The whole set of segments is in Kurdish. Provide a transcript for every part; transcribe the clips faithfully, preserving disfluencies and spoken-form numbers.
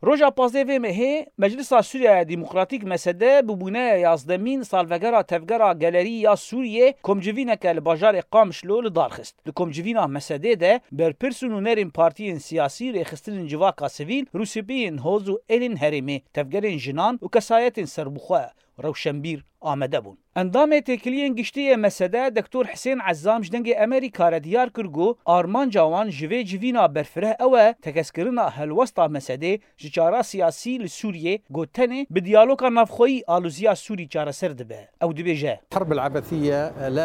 Roja pazdeh vê mehê, Meclisa Sûriyeya Demokratîk, M S D, bi bûneya yazdemîn salvegera tevgera Gelerî ya Sûriyê komcivîneke li bajarê Qamişlo li dar xist. Li komcivîna M S D de berpirs û nûnerên partiyên siyasî, rêxistinên civaka sivîl, rûspiyên hoz û êlên herêmê, tevgerên jinan û kesayetên serbixwe, rewşenbîr amade bûn. Endamê Têkiliyên Giştî yê M S D, Doktor Hisên Ezzam ji Dengê Amerîka re diyar kir ku armanca wan ji vê civîna berfireh ew e, tekez kirina helwesta M S D ji çara siyasî li Sûriyê, ku tenê bi diyaloga navxweyî alûziya Sûrî çareser dibe. Ew dibêje,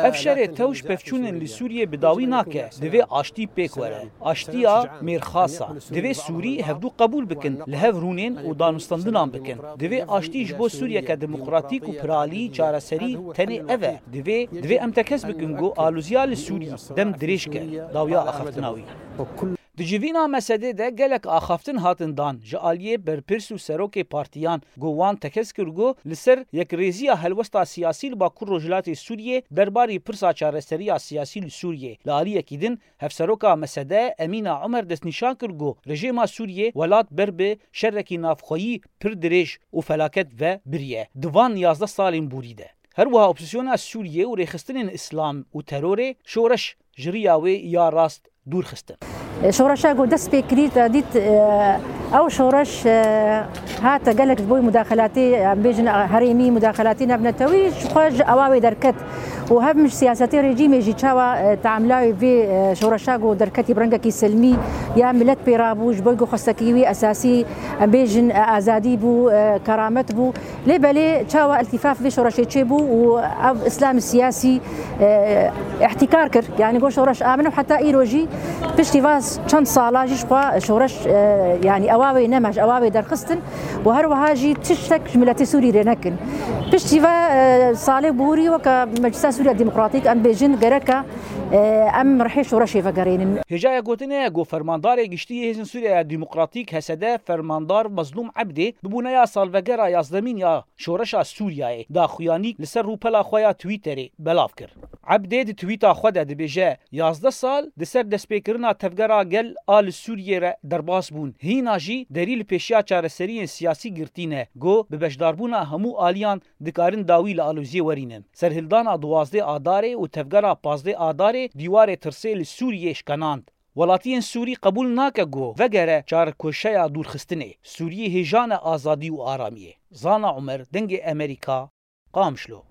Ev şerê tewş pevçûnên li Sûriyê bi dawî nake. Divê aştî pêk were. Aştiya mêrxas e. Divê Sûrî hevdû qebûl bikin, li hev rûnên û danûstandinan bikin. Divê aştî ji bo Sûriyeke demokratîk û piralî çareserî tenê ev e. Divê, divê em tekez bikin ku alûziya li Sûrî dem dirêj ke, dawiya axaftina wî. Di civîna M S D de gelek axaftin hatin dan. Ji aliyê berpirs û serokê partiyan, ku wan tekez kir ku li ser yekrêziya helwesta siyasî li Bakur Rojhilatê Sûriyê derbarî pirsa çareseriya siyasî li Sûriyê. Li aliyekî din, hevseroka M S D Emîna Omer destnîşan kir ku rejêma Sûriyê welat ber bi şerekî navxweyî pir dirêj û felaket ve biriye di van yazdeh salên borî de. Her wiha opozîsyona Sûriyê û rêxistinên îslam û terorê şoreş ji riya wê ya rast dûr xistin. Şoreşa ku dest pê kirî te dît, e, ew şoreş, e, hate gelek ji bo mudaxelatê, em bêjin, e, herêmî, mudaxelatê navnetewî ji xwe ji ewa wê derket û hem ji siyasetê rejîmê jî çawa, e, teamlawê vê, e, şoreşa ku derketî bi rengekî silmî ya milet pê rabû, ji bo ku xwestekî wî esasî, em bêjin, e, azadî bû, e, keramet bû. Lê belê çawa îltîfaf vê şoreşê çêbû û ev îslam siyasî, e, îhtîkar kir. Yanî got şoreş a min û heta îro jî piştî va çend sala jî ji xwe şoreş, e, yanî ewa wê nema, ji ewa wê derxistin û her wiha jî tiştek ji miletê Sûrî rê nekin. Piştî va, e, salê borî weke Meclisa Sûriya Demokratîk em bêjin gereka, e, em rihê şoreşê vegerînin. Hêjaya gotinê ye ku Fermandarê Giştî yê Hêzên Sûriyeya Demokratîk, H S D, Fermandar Mezlûm Ebdê, bi bûneya salvegera yazdemîn ya Şoreşa Sûriyeyê daxuyanî li ser rûpela xwe ya Twitterê belav kir. Ebdê di twîta xwe de dibêje, yazdeh sal di ser destpêkirina tevgera gel a li Sûriyê re derbas bûn. Hîna jî derî li pêşiya çareseriyên siyasî girtî ne, ku bi beşdarbûna hemû aliyan dikarin dawî li aloziyê werînin. Serhildana duwazdeh Adarê û tevgera pazdeh Adarê dîwarê tirsê li Sûriyê şkenand. Welatiyên Sûrî qebûl nake ku vegere çarkoşeya dûrxistinê. Sûriyê hêja ne azadî û aramiyê. Zana Umer, Dengê Amerîka, Qamişlo.